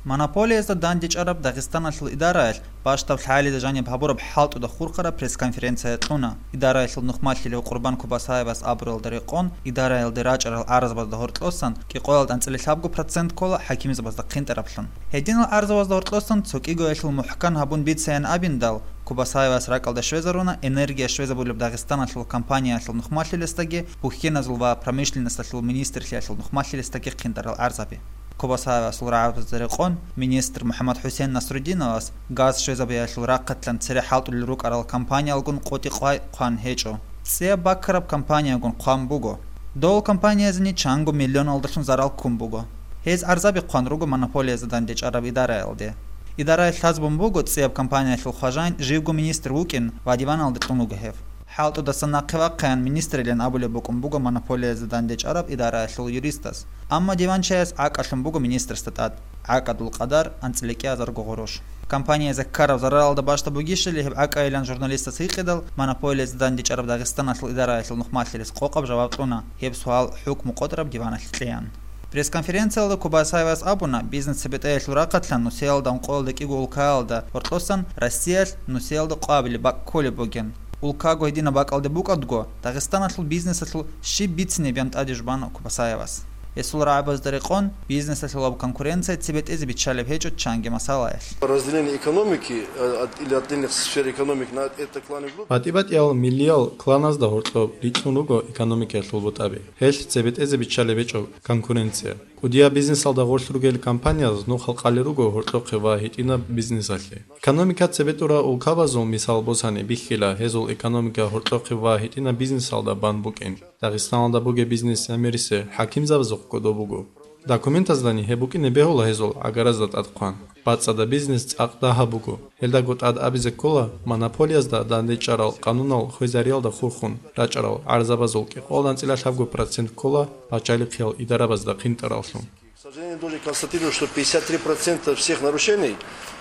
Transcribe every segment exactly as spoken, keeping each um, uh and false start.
Монополиязда дандечӀараб Дагъистаналъул идараялъ бащдаб лъагӀалида жаниб гьабураб хӀалтӀуда хурхараб пресс-конференция кьуна. Идараялъул нухмалъилев Къурбан Кубасаевас абуралда рекъон, идараялде рачӀарал гӀарзабазда гьоркьосан кӀикъоялда анцӀила лъабго процент ккола хӀакимзабазда хъинтӀараблъун. Гьединал гӀарзабазда гьоркьосан цо кӀигоялъул мухӀкан гьабун бицаян абиндал, Кубасаевас ракӀалда щвезаруна энергия щвезабулеб Дагъистаналъул компаниялъул нухмалъилесдаги, бухьеназул ва промышленносталъул министрлъиялъул нухмалъилесдаги хъинтӀарал гӀарзаби. Кубасаевасул рагӀабазда рекъон, министр МухӀаммад-ХӀусен Насрудиновас газ щвезабиялъул рахъалъан цере хӀалтӀулел рукӀарал компаниялгун къотӀи-къвай хъван гьечӀо. ЦӀияб баккараб компаниягун хъван буго. Дол компаниязени чанго миллионалдалъун зарал ккун буго. Гьез гӀарзаби хъван руго монополиязда дандечӀараб идараялде. Идараялъ лъазабун буго цӀияб компаниялъул хважаин живго министр вукӀин ва диваналде кьун вуго гьев. ХӀалтӀудасан нахъе вахъаян министрилан абулеб букӀун буго монополиязда дандечӀараб идараялъул юристас. Амма диванчияс гӀакӀалъун буго министрасда тӀад, гӀакӀадул къадар анцӀила кӀиазарго гъурущ. Компаниязда ккараб зараралда бащдаб бугищали гьеб гӀакӀайилан журналистас гьикъидал, монополиязда дандечӀараб Дагъистаналъул идараялъул нухмалъилес къокъаб жаваб кьуна, гьеб суал хӀукму къотӀараб диваналъе кьеян. Пресс-конференциялда Кубасаевас абуна, бизнес-цебетӀеялъул рахъалъан нусиялда ункъоялда кӀиго улкаялда гьоркьосан Россиялъ нусиялда къоабилеб бакӀ кколеб бугин. Улкаго гьединаб бакӀалде букӀадго, Дагъистаналъул бизнесалъул щиб бицине бегьан тӀаде жубана Кубасаевас. Гьесул рагӀабазда рекъон, бизнесалъулаб конкуренция цебетӀезе биччалеб гьечӀо чанги масалаялъ. Разделение экономики, э, от, или отдельных сфер экономики на это кланы группы. БатӀи-батӀиял миллиял кланазда гьоркьоб рикьун руго экономикаялъул бутӀаби. Гьелъ цебетӀезе биччалеб гьечӀо конкуренция. КӀудияб бизнесалда гъорлъ ругел компаниялъ нухал къали руго гьоркьохъе ва гьитӀинаб бизнесалъе. Экономика цебетӀура улкабазул мисал босани бихьила, гьезул экономика гьоркьохъе ва гьитӀинаб бизнесалда бан букӀин. Дагъистаналда бугеб бизнес гӀемерисе хӀакимзабазухъ кодоб буго. Документаздани гьеб букӀине бегьула гьезул гӀагаразда тӀадхъван. БацӀцӀадаб бизнес цӀакъ дагьаб буго. Гьелдаго тӀад абизе ккола, монополиязда дандечӀарал къанунал хвезариялда хурхун рачӀарал гӀарзабазул кӀикъоялда анцӀила лъабго процент ккола пачалихъиял идарабазда хъинтӀараллъун. К сожалению, должен констатировать, что пятьдесят три процента всех нарушений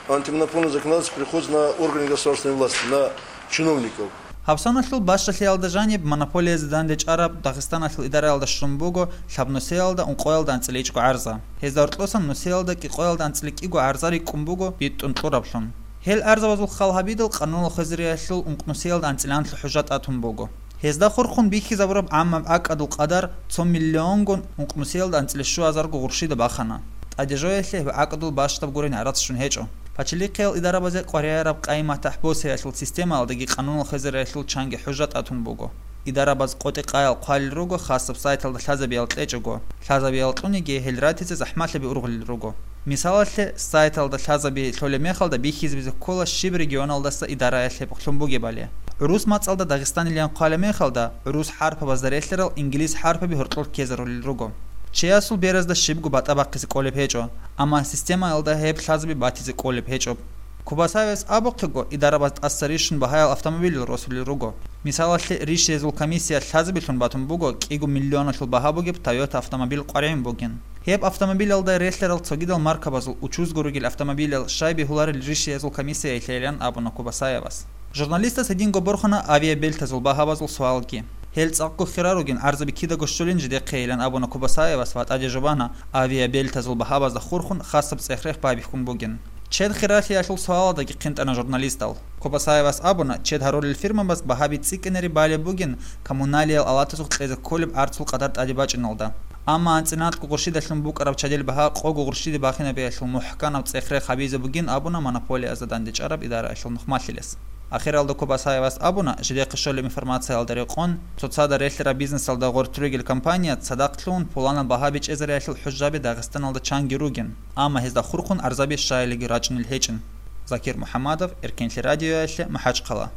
антимонопольного законодательства приходится на органы государственной власти, на чиновников. Гьабсаналъул бащдалъиялда жаниб монополиязда дандечӀараб Дагъистаналъул идараялда щун буго лъабнусиялда ункъоялда анцӀила ичӀго гӀарза. Гьезда гьоркьосан нусиялда кӀикъоялда анцӀила кӀиго гӀарза рикӀкӀун буго битӀун кьураблъун. Гьел гӀарзабазул хал гьабидал къанунал хвезариялъул ункънусиялда анцӀиланлъи хӀужа тӀатун буго. Гьезда хурхун бихьизабураб гӀаммаб гӀакӀадул къадар цо миллионгун ункънусиялда анцӀила щуазарго гъурщида бахана. ТӀаде жоялъе гьеб гӀакӀадул бащдаб гурин гӀарац щун гьечӀо. Пачалихъиял идарабазе къваригӀараб къайи-матахӀ босиялъул системаялдаги къанунал хвезариялъул чанги хӀужа тӀатун буго. Идарабаз къотӀи-къаял хъвалел руго хасаб сайталда лъазабиял кьечӀого, лъазабиял кьуниги гьел ратизе захӀмалъаби ургъулел руго. Мисалалъе, сайталда лъазаби лъолеб мехалда бихьизабизе ккола щиб регионалдаса идараялъ гьеб лъун бугебали. ГӀурус мацӀалда Дагъистанилан хъвалеб мехалда, гӀурус хӀарпабазда релълъарал инглис хӀарпаби гьоркьор ккезарулел руго. Чиясул беразда щибго батӀа бахъизе кӀолеб гьечӀо, амма системаялда гьеб лъазаби батизе кӀолеб гьечӀо. Кубасаевас абухъего, идарабаз тӀаса рищун багьаял автомобиль росулел руго. Мисалалъе, ришиязул комиссия лъазабилъун батун буго кӀиго миллионалъул багьа бугеб Toyota автомобиль къваригӀун бугин. Гьеб автомобилялда релълъарал цогидал маркабазул учузго ругел автомобилал щай бегьуларел ришиязул комиссиялъейилан абуна Кубасаевас. Журналистас гьединго борхана авиабелтазул багьабазул суалги. Гьел цӀакъго хира ругин, гӀарзаби кидаго щолин жидехъейилан абуна Кубасаевас ва тӀаде жубана авиабелтазул багьабазда хурхун хасаб цӀех-рех байбихьун бугин. Чед хиралъиялъул суалалдаги хъинтӀана журналистал. Кубасаевас абуна, чед гьарулел фирмабаз багьаби цӀикӀкӀинаре балеб бугин коммуналиял алатазухъ кьезе кколеб гӀарцул къадар тӀаде бачӀиналда. Амма анцӀила анкьго гъурщидалъун букӀараб чадил багьа къого гъурщиде бахинабиялъул мухӀканаб цӀех-рех гьабизе бугин абуна монополиязда дандечӀараб идараялъул нухмалъилес. Ахиралда Кубасаевас абуна, жидехъе щолеб информациялда рекъон, цоцазда релълъараб бизнесалда гъоркь ругел компания цадахъ лъугьун пуланаб багьа бичӀчӀизариялъул хӀужаби Дагъистаналда чанги ругин, амма гьезда хурхун гӀарзаби щайилиги рачӀунел гьечӀин. Закир МухӀаммадов, Эркенлъи радиоялъе, МахӀачхъала.